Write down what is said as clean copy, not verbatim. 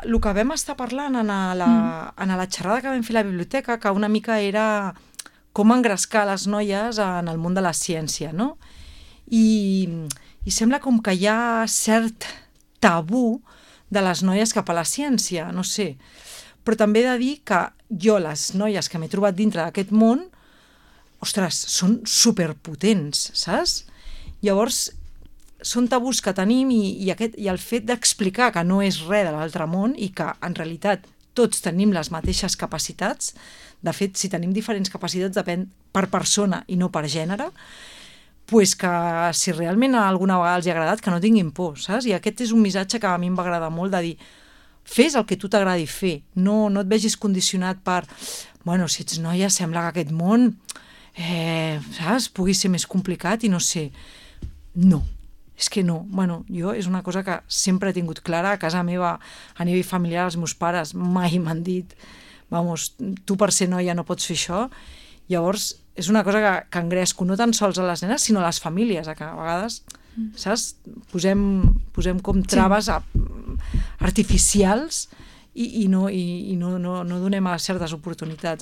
el que vam estar parlant en la xerrada que vam fer a la biblioteca, que una mica era com engrescar les noies en el món de la ciència, no? I sembla com que hi ha cert tabú de les noies cap a la ciència, no sé. Però també he de dir que jo, les noies que m'he trobat dintre d'aquest món, ostres, són superpotents, saps? Llavors, són tabús que tenim i el fet d'explicar que no és res de l'altre món i que, en realitat, tots tenim les mateixes capacitats. De fet, si tenim diferents capacitats depèn per persona i no per gènere, pues que si realment alguna vegada els ha agradat, que no tinguin por, saps? I aquest és un missatge que a mi em va agradar molt, de dir, fes el que tu t'agradi fer, no et vegis condicionat per, bueno, si ets noia sembla que aquest món, saps, pugui ser més complicat i no sé. No, és que no. Bueno, jo és una cosa que sempre he tingut clara, a casa meva, a nivell familiar, els meus pares mai m'han dit, vamos, tu per ser noia no pots fer això. Llavors, és una cosa que engresco no tan sols a les nenes, sinó a les famílies, que a vegades, saps, posem com traves artificials i no donem a certes oportunitats.